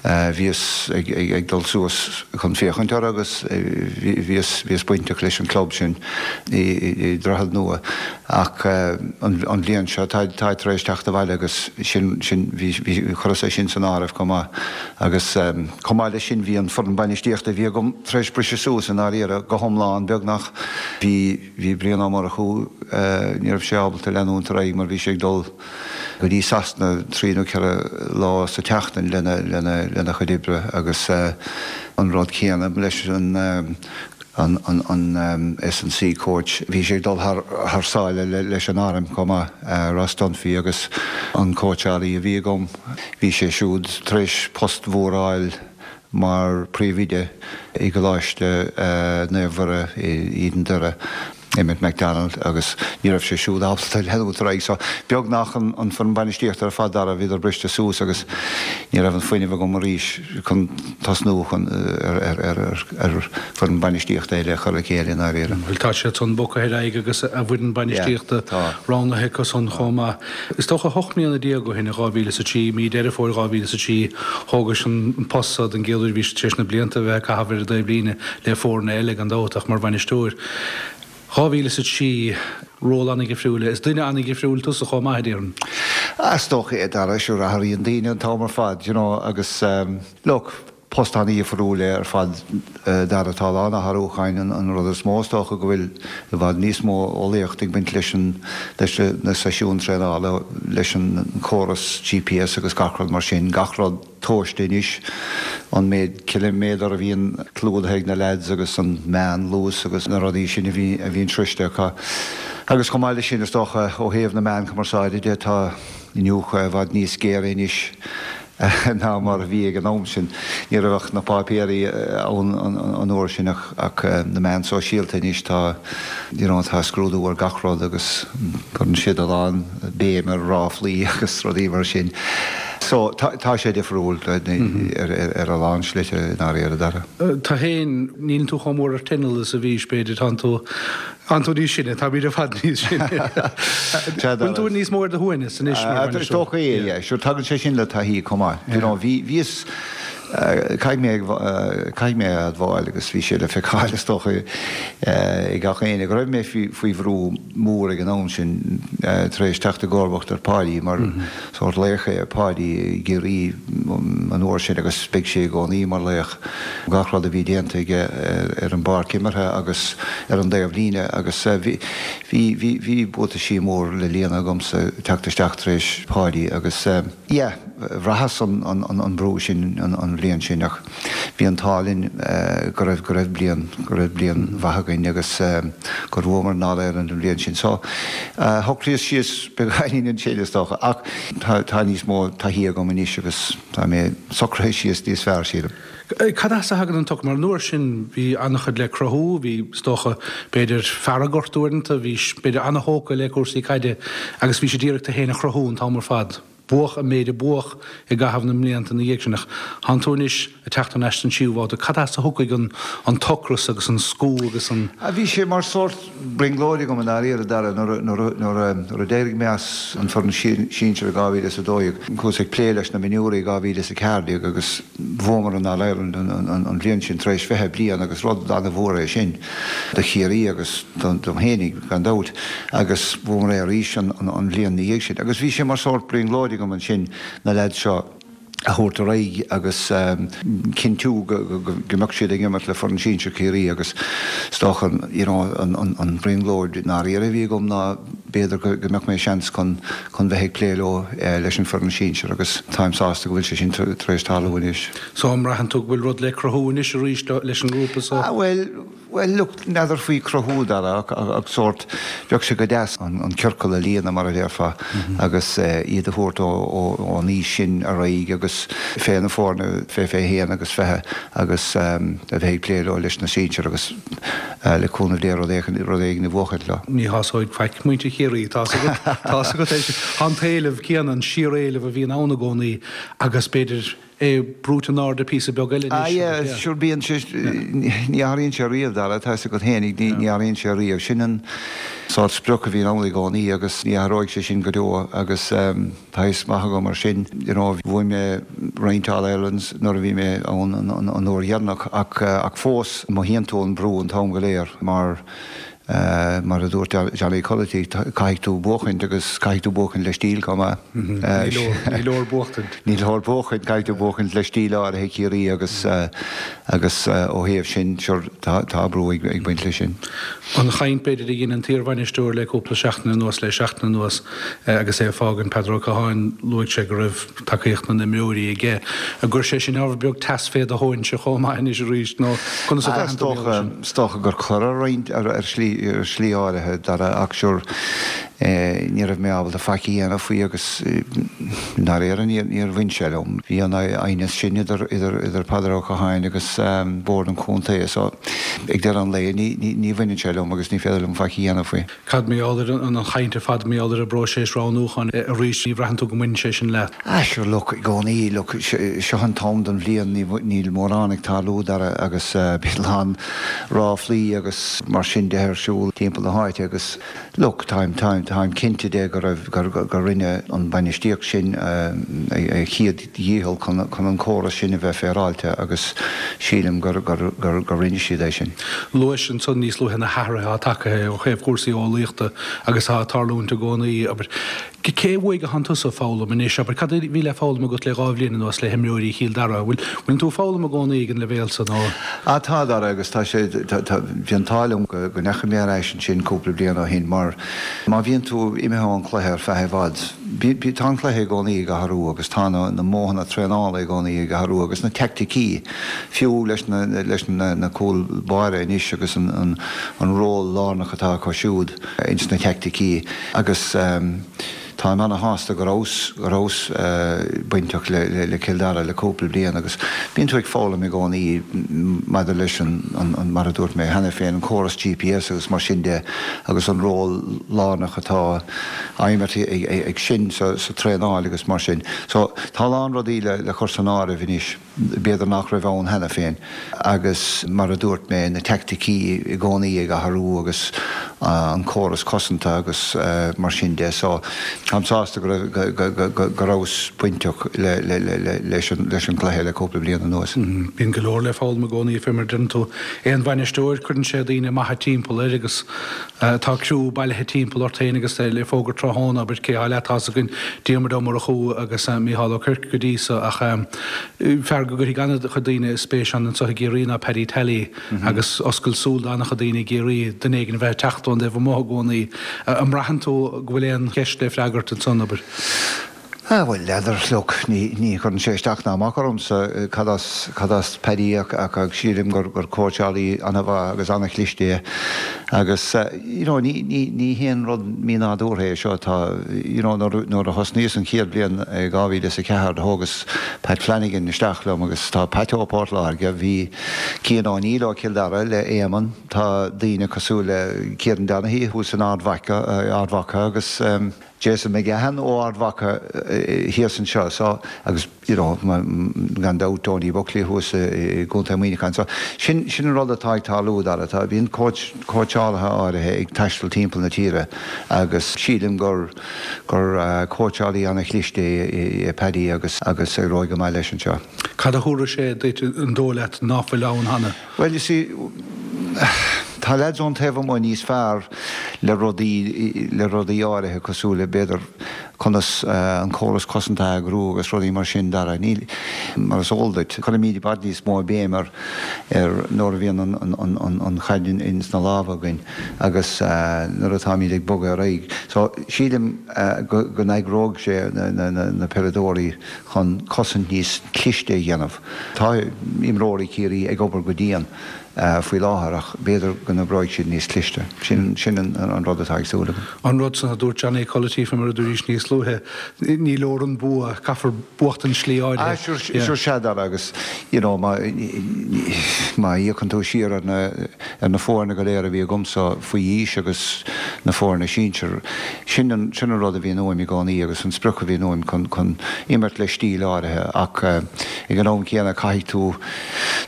bhíos ag dul suas chun féachaint orthu agus bhíos, bhíos bainteach leis an club sin i Droichead Nua ach an bhliain seo táid tar éis teacht abhaile agus sin, sin, bhí, bhí, chuireas é sin san áireamh chomh maith agus chomh maith leis sin bhí an foireann bainistíochta a bhí agam tar éis briseadh suas i ndáiríre go hiomlán beagnach. Bhí, bhí Brian Ó Murchú, ní raibh sé ábalta leanúint ar aghaidh mar bhí sé ag dul go dtí Sasana trí nó ceithre lá sa tseachtain lena, lena, lena chuid oibre agus an rud céanna leis an, an, an, an S and C coach. Bhí sé ag dul thar, thar sáile leis an arm chomh maith, Ross Dunphy agus an cóitseálaí a bhí agam, bhí sé siúd tar éis post mhór a fháil mar phríomhoide i gColáiste Naomh Mhuire i Éadan Doire, Emmet McDonald, agus ní raibh sé siúd ábalta leanúint ar aghaidh. So, beagnach an foireann bainistíochta ar fad, Dara, bhíodar briste suas agus ní raibh an fuinneamh agam arís chun tosnú chun ar ar foireann bainistíochta eile a chur le chéile i ndáiríre. Bhuel, tá siad san bogtha ar aghaidh agus a bhfoireann bainistíochta roghnaithe acu san chomh maith. Is dócha 18 mbliana ó shin, i 2003, mí Deireadh Fómhair 2003, thógais an post so den gcéad uair, bhís tar éis na blianta a bheith ag caitheamh ar an dtaobhlíne le foirne eile gan dabht ach mar bhainisteoir. 2003, ról an-dhifriúil é. Is duine an-dhifriúil tusa chomh maith, a déarfainn. Is dócha é, Dara, sure athraíonn daoine an t-am ar fad, you know, agus look, Post an-dhifriúil é ar fad Dara. Tá a lán athrúcháin. An rud is mó is dócha go bhfuil i bhfad níos mó eolaíocht ag baint leis an leis na seisiúin traenála, leis an córas GPS agus gach rud mar sin. Gach rud tomhaiste anois. An méid ciliméadar a bhíonn clúdaithe ag na leaids agus an meán luas agus na rudaí sin a bhí a bhíonn sroiste acu. Agus chomh maith leis sin is dócha ó thaobh na meán cumarsáide de tá iniúchadh i bhfad níos géire anois ná mar a bhí ag an am sin. Ní raibh ach na páipéirí ann an uair sin ach na meáin sóisialta anois tá you know tá scrúdú ar gach rud agus cuireann siad a lán béim ar ráflaí agus rudaí mar sin. So tá tá sé difriúil ar a lán slite i ndáiríre, Dara. Tú féin, níl tú chomh mór ar tinneall is a bhís b'fhéidir, tánn tú Tánn tú níos sine, táimid ar fad níos sine. Bhfuil tú níos mó ar do shuaimhneas anois mar bhainisteoir? Is dócha é, yeah. Sure, tagann sé sin le taithí chomh maith. You know, bhí, bhíos, caithfidh mé, caithfidh mé a admháil agus bhí sé le feiceáil is dócha ag gach éinne go raibh mé faoi bhrú mór ag an am sin tar éis teacht i gcomharbacht ar Pháidí mar sórt laoch é Páidí i gCiarraí an uair sin agus beidh sé i gcónaí mar laoch. Gach rud a bhí déanta aige ar an bpáirc imeartha agus ar an dtaobh líne agus bhí, bhí, bhí buataisí mór le líonadh agamsa teacht isteach tar éis Pháidí agus yeah. bhraitheas an brú sin an bhliain sin ach bhí an t-ádh linn go raibh, go raibh bliain, go raibh bliain mhaith againn agus gur bhuamar an All-Ireland an bhliain sin. So, shocraíos síos beagáinín ansin is dócha ach tá níos mó taithí agam anois agus tá mé socraithe síos níos fearr, sílim. Cad as a thagann an t-ocras? Mar an uair sin bhí an-chuid le cruthú, bhí, is dócha, b'fhéidir, fearg ort uaireanta, bhís, b'fhéidir, an-thógtha le cúrsaí caide agus bhís ag iarraidh tú féin a chruthú an t-am ar fad. Buadh an méid a buadh i gcaitheamh na mblianta ina dhiaidh sin ach tánn tú anois ag teacht thar n-ais don tríú babhta. Cad as a thiocfaidh an an t-ocras agus an scú agus an. Bhí sé mar sórt brionglóid agam i ndáiríre, Dara, nuair a d'éirigh mé as an foireann sinsir i 2012. Chuas ag plé leis na mionúirí i 2014 agus bhuamar an All-Ireland an bhliain sin tar éis 20 bliain agus rud an-mhór é sin do Chiarraí agus dom fhéinig gan dabht agus bhuamar é arís an bhliain ina dhiaidh sin. Agus bhí sé mar sórt brionglóid agam ansin na leaids seo a thabhairt ar aghaidh agus cinntiú go mbeadh siad ag imirt le foireann sinsir Chiarraí agus is dócha you know an bhrionglóid i ndáiríre a bhí agam ná b'fhéidir go mbeadh mé seans chun chun bheith ag plé leo leis an foireann sinsir agus táim sásta go bhfuil sé sin tar éis tarlú anois. So an mbraitheann tú go bhfuil rud le cruthú anois arís leis an ngrúpa so? Ah bhuel, Bhuel, look, n'fheadar faoi cruthú, Dara, ach sórt, bheadh sé go deas an ciorcal a líonadh, mar a déarfá, agus iad a thabhairt ón aois sin ar aghaidh agus fé na foirne fé 21 agus 20 agus a bheith ag plé leo leis na sinsir agus le cúnamh Dé rud éigin, rud éigin a bhuachaint leo. Ní shásóidh faic muintir Chiarraí, tá's agat, tá's agat é sin. Tá an t-éileamh céanna, an síoréileamh a bhíonn ann i gcónaí agus b'fhéidir, é brúite in airde píosa beag eile anois. Ah yeah, sure bíonn sé, ní athraíonn sé riamh, Dara, tá 'fhios agat fhéinig, ní athraíonn sé riamh. Sin an sórt sprioc a bhíonn ann i gcónaí agus ní athróidh sé sin go deo agus tá fhios maith agam mar sin, you know, bhuaigh mé roinnt All Irelands nuair a bhí mé ann an uair dheireanach ach ach fós mothaíonn tú an brú an t-am go léir mar Mar a dúirt Johnny Culloty, caithfidh tú buachaint agus caithfidh tú buachaint le stíl chomh maith. Ní leor buachtaint. Ní leor buachaint, caithfidh tú buachaint le stíl áirithe Chiarraí agus agus ó thaobh sin, sure, tá brú ag baint leis sin. An chaint b'fhéidir a dhein an t-iarbhainisteoir le cúpla seachtain anuas, le seachtain anuas agus é ag fágaint, Peadar Ó Catháin, luaigh sé go raibh tacaíocht na n-imreoirí aige. An gcuir sé sin ábhar beag teas fé do thóinse chomh maith anois arís nó conas a bhraitheann tú mar gheall air sin? Is dócha gur chuir ar roinnt, ar shlí, ar shlí áirithe, Dara, ach sure, ní raibh mé ábalta faic a dhéanamh faoi agus i ndáiríre níor bhain sé liom. Bhí an aighneas sin idir, idir, idir Peadar Ó Catháin agus Bord an Chontae so ag deireadh an lae ní, ní, ní bhaineann sé liom agus ní féidir liom faic a dhéanamh faoi. Cad mar gheall ar an chaint ar fad, mar gheall ar an bpróiseas roghnúcháin arís, ní bhraitheann tú go mbaineann sé sin leat? Ah sure look, i gcónaí, look, seo an t-am den bhliain, níl mórán ag tarlú, Dara, agus bíonn a lán ráflaí agus mar sin de ar siúl timpeall na háite agus look, táim, táim, táim cinnte de go raibh, gur, gur rinne an bainistíocht sin a chéad dhícheall chun, chun an córas sin a bheith féaráilte agus sílim gur, gur, gur, gur rinne siad é sin. Luais ansan níos luaithe na hathruithe atá tagtha ó thaobh chúrsaí eolaíochta agus atá ag tarlúint i gcónaí, abair. Cé uaidh a thánn tusa ag foghlaim anois? Abair, cad a bhí le foghlaim agat le 2 bhliain anuas le himreoirí Chill Dara? Bhfuil, bhfuileann tú ag foghlaim i gcónaí ag an leibhéal san nó? Ah tá, Dara, agus tá sé, tá, tá, bhí an t-ádh liom go, go ndeachaigh mé ar ais ansin cúpla bliain ó shin mar má bhíonn tú imithe ón chluiche ar feadh i bhfad, bí, bí, tá an cluiche i gcónaí ag athrú agus tá na, na modhanna traenála i gcónaí ag athrú agus na teaicticí, fiú leis na, leis na, na cúl báire anois agus an, an, an ról lárnach atá acu siúd ins na teaicticí. Agus táim ana-shásta go rabhas, go rabhas bainteach le Cill Dara le cúpla bliain agus bíonn tú ag foghlaim i gcónaí maidir leis an, an, mar a dúirt mé cheana féin, an córas GPS agus mar sin de agus an ról lárnach atá á imirt ag sin sa traenáil agus mar sin. So tá a lán rudaí le cur san áireamh anois. b'fhéidir nach raibh ann cheana féin, agus mar a dúirt mé, na teaicticí i gcónaí ag athrú agus an córas cosanta agus mar sin de. So, táim sásta go raibh, go rabhas bainteach leis an gcluiche le cúpla bliain anuas. Bíonn go leor le foghlaim i gcónaí, fé mar a deireann tú. Aon bhainisteoir, cuireann sé daoine maithe timpeall air agus tá criú bailithe timpeall ort féin agus le fógairt tráthnóna, abair, cé atá leat, tá's againn Diarmuid Ó Murchú agus Mícheál Ó Cuirc go dtí so ach fear go gcuirfidh an-chuid daoine spéis ann anseo i gCiarraí ná Paddy Tally agus oscailt súl d'an-chuid daoine i gCiarraí, duine éigin a bheith ag teacht ón dtaobh amuigh i gcónaí. An mbraitheann tú go bhfuil aon cheist le freagairt ansan, abair? Ah, bhuel, n'fheadar, look, ní, ní chuireann sé isteach ná amach ormsa cad as, cad as Paddy ach, ach, ach sílim gur, gur cóitseálaí an-mhaith agus an-chliste é agus, you know, ní, ní, ní haon rud mínádúrtha é seo, tá, you know, nuair, nuair a thosnaíos an chéad bhliain i 2004 thógas Pat Flanagan isteach liom agus tá Pat ó Port Láirge, bhí Cian O'Neill ó Chill Dara le Éamonn, tá daoine cosúil le Kieran Donaghy thuas in Ard Mhacha, Ard Mhacha agus. Jason McGahan ó Ard Mhacha thíos anseo so agus you know gan dabht Donie Buckley thuas i gContae Muineacháin. So sin sin an rud atá ag tarlú Dara. Tá bíonn coach cóitseálaithe áirithe ag taisteal timpeall na tíre agus sílim gur gur cóitseálaí ana-chliste é Paddy agus agus éireoidh go maith leis anseo. Cad a thabharfaidh sé duit an dóigh leat ná fuil ann cheana? Bhuel, you see, tá leaids ón taobh amuigh níos fearr le rudaí, le rudaí áirithe cosúil le, b'fhéidir, conas an córas cosanta a eagrú agus rudaí mar sin, Dara. Níl, mar is eol duit, cuirimid i bhfad níos mó béim ar, ar nuair a bhíonn an, an, an, an chaid ins na lámha againn agus nuair atáimid ag bogadh ar aghaidh. So, sílim go, go n-eagróidh sé na, na, na, na peileadóirí chun cosaint níos cliste a dhéanamh. Tá imreoirí Chiarraí ag obair go dian faoi láthair ach b'fhéidir go n-oibreoidh siad níos cliste. Sin sin an rud atá ag súil agam. An rud san a dúirt Johnny Culloty fé mar a dúraís níos luaithe, ní leor an bua, caithfear buachtaint slí áirithe. Ah sure, sure sea Dara agus you know má má fhéachann tú siar ar na ar na foirne go léir a bhí agamsa faoi aois agus na foirne sinsir, sin an, sin an rud a bhíonn uaim i gcónaí agus an sprioc a bhíonn uaim chun, chun imirt le stíl áirithe ach ag an am céanna caithfidh tú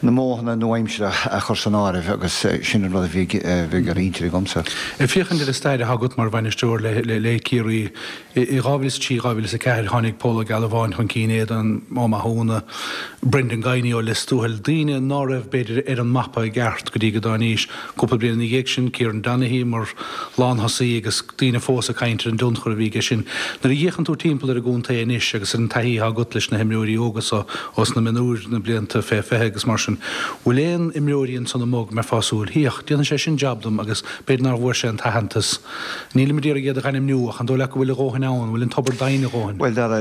na modhanna nua-aimseartha a chur san áireamh agus sin an rud a bhí, a bhí ar intinn agamsa. Ag féachaint ar an stair atá agat mar bhainisteoir le, le, le Ciarraí, I 2003, 2004 tháinig Pól Ó Gealbháin chun cinn, Aodán Ó Mathúna, Brendan Guiney ó Lios Tuathail, daoine ná raibh, b'fhéidir, ar an mapa i gceart go dtí go dtáinís. Cúpla bliain ina dhiaidh sin, Kieran Donaghy mar lánthosaí agus daoine fós ag caint ar an dtionchar a bhí aige sin. Nuair a fhéachann tú timpeall ar an gcontae anois agus ar an taithí atá agat leis na himreoirí óga so ós na mionúir, na blianta fé 20 agus mar sin, bhfuil aon imreoirí ansan amuigh go mbeifeá ag súil, Féach, déanfaidh sé sin jab dom agus b'fhéidir nár bhfuair sé an t-aitheantas. Nílim ag iarraidh iad a dh'ainmniú, ach an dóigh leat go bhfuil a dhóthain ann, an bhfuil an tobar doimhin a dhóthain? Bhuel, Dara,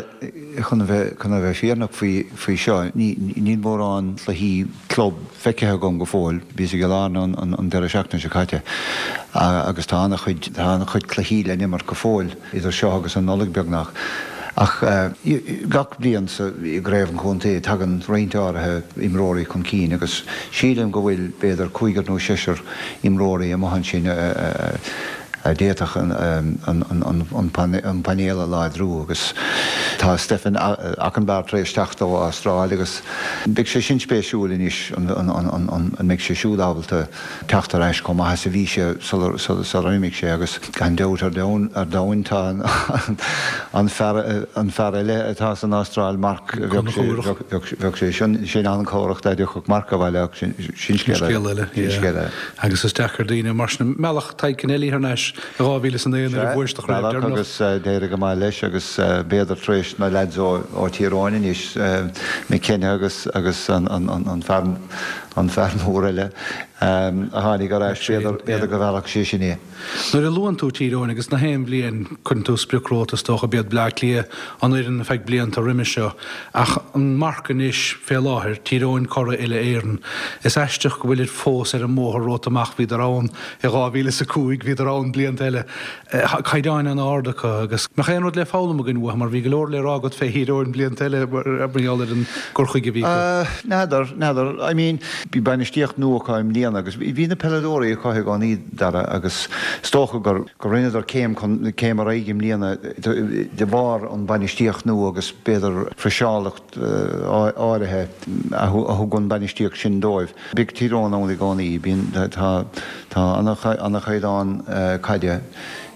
chun a bheith, chun a bheith fírinneach faoi, faoi seo, ní, níl mórán cluichí club feicthe agam go fóill. Bhíos i gCill Airne an, an, an deireadh seachtaine seo caite agus tá an-chuid, tá an-chuid cluichí le n-imirt go fóill idir seo agus an Nollaig beagnach. Ach gach bliain sa, i gcraobh an chontae tagann roinnt áirithe imreoirí chun cinn agus sílim go bhfuil b'fhéidir cúigear nó seisear imreoirí amuigh ansin a d'fhéadfadh an painéal a láidriú agus tá Stephen Ockenbar tar éis teacht ó Astráil agus beidh sé sin spéisiúil anois an mbeidh sé siúd ábalta teacht ar ais chomh maith is a bhí sé sular imigh sé agus gan dabht ar domhan tá an fear eile atá san Astráil, Mark, bheadh sé sin an-chabhrach dá dtiocfadh Mark abhaile ach sin scéal eile. Sin scéal eile. Agus is deacair daoine mar sin. Mealladh Tadhg Kennelly thar n-ais i 2009 nuair a bhuaigh sibh an chraobh deireanach. Agus d'éirigh go maith leis agus b'fhéidir tar éis na leaids ó Thír Eoghain anois, McKenna agus an fear an fear mór eile a tháinig ar ais, b'fhéidir go mheallfadh sé sin é. Nuair a luann tú Tír Eoghain agus na haon bhliain cuireann tú sprioc romhat is dócha, b'iad Bleá Cliath an fhoireann feadh blianta roimhe seo ach an marc anois fé láthair, Tír Eoghain curaidh uile Éireann. Is aisteach go bhfuilid fós ar an mbóthar romhat amach, bhíodar ann i 2005, bhíodar ann blianta eile. Caighdeáin an-ard acu agus mbeadh aon rud le foghlaim againn uathu mar bhí go leor le rá agat fé Thír Eoghain blianta eile mar gheall ar an gcur chuige a bhí acu. N'fheadar, n'fheadar. I mean, bhí bainistíocht nua acu i mbliana agus bhí na peileadóirí acu i gcónaí, Dara, agus is dócha gur, gur rinneadar céim chun, céim ar aghaidh i mbliana de bharr an bainistíocht nua agus b'fhéidir friseálacht áirithe a thug an bainistíocht sin dóibh. Beidh Tír Eoghain ann i gcónaí. Bíonn, tá, tá an-chaighdeán caide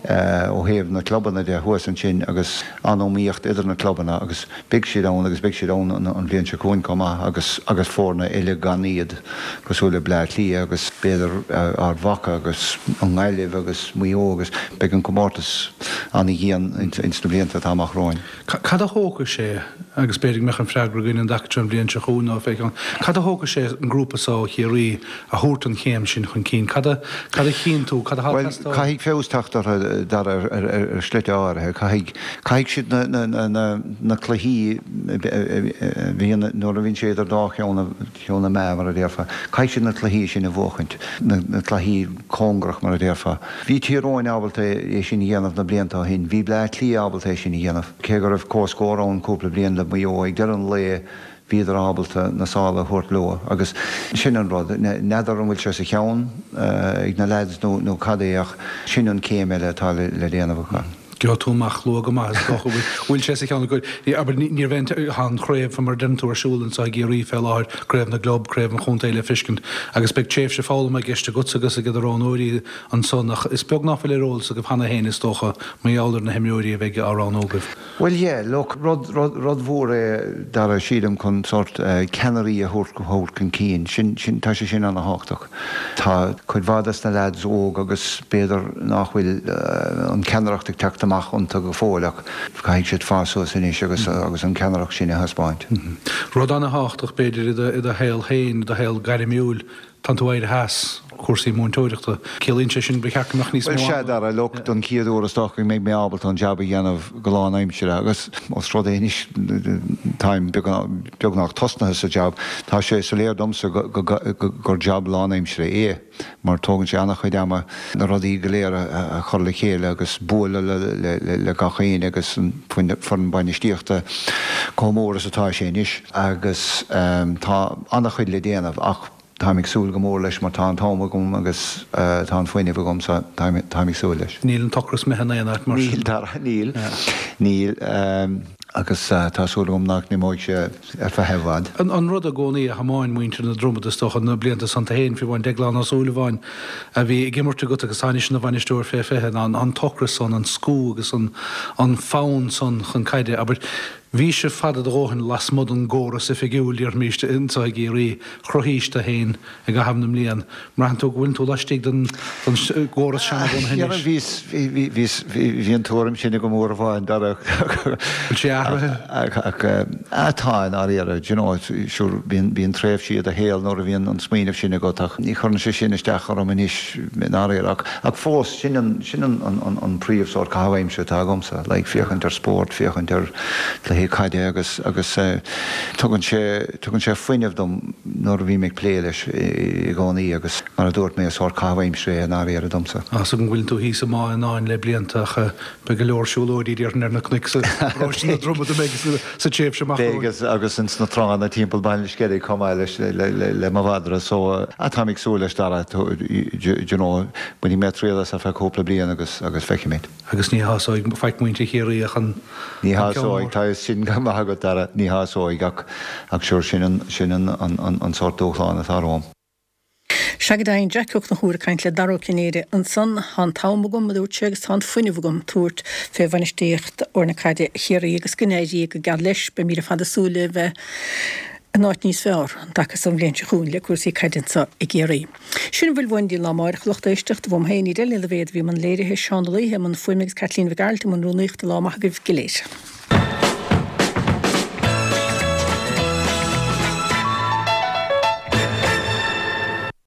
ó thaobh na clubanna de thuas ansin agus an-iomaíocht idir na clubanna agus beidh siad ann agus beidh siad ann an bhliain seo chugainn chomh maith agus agus foirne eile gan iad cosúil le Bleá Cliath agus b'fhéidir Ard Mhacha agus an Ghaillimh agus Maigh Eo agus beidh an comórtas an-dhian ins na blianta atá amach romhainn. Cad a thógfaidh sé? Agus b'fhéidir go mbeadh an freagra againn an dtaca seo an bhliain seo chugainn nó fé cheann. Cad a thógfaidh sé an grúpa so ó Chiarraí a thabhairt an chéim sin chun cinn? Cad a, cad a chíonn tú, cad atá ag Bhuel, teastáil? caithfidh feabhas teacht orthu, Dara, ar, ar, ar shlite áirithe. Caithfidh, caithfidh siad na, na, na, na, na cluichí a bhíonn, nuair a bhíonn sé idir dá cheann na, cheann na meá, mar a déarfá, caithfidh siad na cluichí sin a bhuachaint, na, na cluichí cóngarach, mar a déarfá. Bhí Tír Eoghain ábalta é sin a dhéanamh na blianta ó shin. Bhí Bleá Cliath ábalta é sin a dhéanamh. Cé go raibh comhscór ann cúpla bliain le Maigh Eo, ag deireadh an lae bhíodar ábalta na sála a thabhairt leo agus sin an rud. N'fheadar an bhfuil sé sa cheann ag na leaids nó cad é ach sin an céim eile atá le déanamh acu. Gheobhaidh tú amach luath go maith is dócha. Bhfuil sé sa cheann acu? Abair, ní raibh aon, tá an chraobh mar a deireann tú ar siúl anseo i gCiarraí fé láthair, craobh na gclub, craobh an chontae le feiscint agus beidh tréimhse foghlama i gceist agatsa agus ag do roghnóirí ansan ach is beag nach bhfuil ar eolas agaibh cheana féin is dócha mar gheall ar na himreoirí a bheidh á roghnú agaibh. Bhuel yeah, look, rud, rud, rud mhór é Dara, sílim, chun sórt ceannairí a thabhairt, thabhairt chun cinn. Sin, sin, tá sé sin ana-thábhachtach. Tá cuid mhaith des na lads óg agus b'fhéidir nach bhfuil an ceannaireacht ag teacht amach iontu go fóill ach caithfidh siad fás suas anois agus, agus an ceannaireacht sin a thaispeáint. Rud ana-thábhachtach b'fhéidir i do, i do shaol féin, i do shaol gairmiúil, Tánn tú éirithe as cúrsaí múinteoireachta. Ciallaíonn sé sin ba cheart go mbeadh níos mó ama. Bhuel, sea, Dara, look, don chéad uair is dócha go mbeidh mé ábalta an jab a dhéanamh go lánaimseartha agus os rud é anois táim beagnach tosnaithe sa jab, tá sé soiléir domsa gur jab lánaimseartha é mar tógann sé an-chuid ama na rudaí go léir a chur le chéile agus bualadh le gach éinne agus an foireann bainistíochta chomh mór is atá sé anois agus tá an-chuid le déanamh ach Táim ag súil go mór leis mar tá an t-am agam agus tá an fuinneamh agam so táim ag súil leis. Níl an t-ocras imithe in aon áit mar sin? Níl, Dara, níl. Níl. Agus tá súil agam nach n-imeoidh sé ar feadh i bhfad. An rud i gcónaí a thiomáin muintir na Dromad is dócha, na blianta san tú féin, fiú amháin Deaglán Ó Súilleabháin a bhí ag imirt agat agus atá anois ina bhainisteoir fé 20, ná an t-ocras san, an scú agus an fonn san chun caide. Abair, Bhí sibh fada do dhóthain lasmuigh den gcóras oifigiúil, déarfaimis, anseo i gCiarraí. Chruthaís tú féin i gcaitheamh na mblian. Mbraitheann tú go bhfuileann tú laistigh den gcóras seanabhunaithe anois? Bhí, bhí, bhí an tuairim sin agam uair amháin, Dara. Bhfuil sé athraithe? Ach, tá, i ndáiríre. Do you know, sure, bíonn, bíonn tréimhsí i do shaol nuair a bhíonn an smaoineamh sin agat ach ní chuireann sé sin isteach orm anois i ndáiríre. Ach, ach fós, sin an, sin an, an, an príomh sórt caitheamh aimsire atá agamsa, like féachaint ar spórt, féachaint ar cluichí caide agus, agus tugann sé, tugann sé fuinneamh dom nuair a bhím ag plé leis i gcónaí agus mar a dúirt mé, is sórt caitheamh aimsire é i ndáiríre domsa. Tá 's agam go bhfuileann tú thíos i mBá Fhionáin le blianta ach beidh go leor siúlóidí déarfainn ar na cnoic sa bparóiste na Dromad a mbeidh sa tréimhse amach romhainn. Beidh agus ins na tránna timpeall Baile an Sceilg chomh maith leis le mo mhadra so táim ag súil leis Dara, do you know, bainfidh mé triail as ar feadh cúpla bliain agus agus feicfimid. Agus ní shásóidh faic muintir Chiarraí ach an Ní ceann mór. Ní shásóidh, tá fhios sin go maith agat Dara, ní shásóidh ach ach sure sin an sin an an an sórt dúshlán atá romham. Sea go deimhin, Jack Ó Conchúir ag caint le Dara Ó Cinnéide ansan. Tá an t-am agam, a dúirt sé, agus tá an fuinneamh agam tabhairt fé bhainistíocht fhoirne caide Chiarraí agus go n-éirí go geal leis. Beimid ar fad ag súil le bheith in áit níos fearr an dtaca so an bhliain seo chugainn le cúrsaí caide anso i gCiarraí. Sin a bhfuil uainn go dtí an lá amáireach, a lucht éisteachta. Uaim féin, Edel Ní Loibhéad a bhí i mbun léirithe, Seán Ó Laoithe i mbun fuaime agus Caitlín Mhic Gearailt i mbun rúnaíochta. Lá maith agaibh go léir.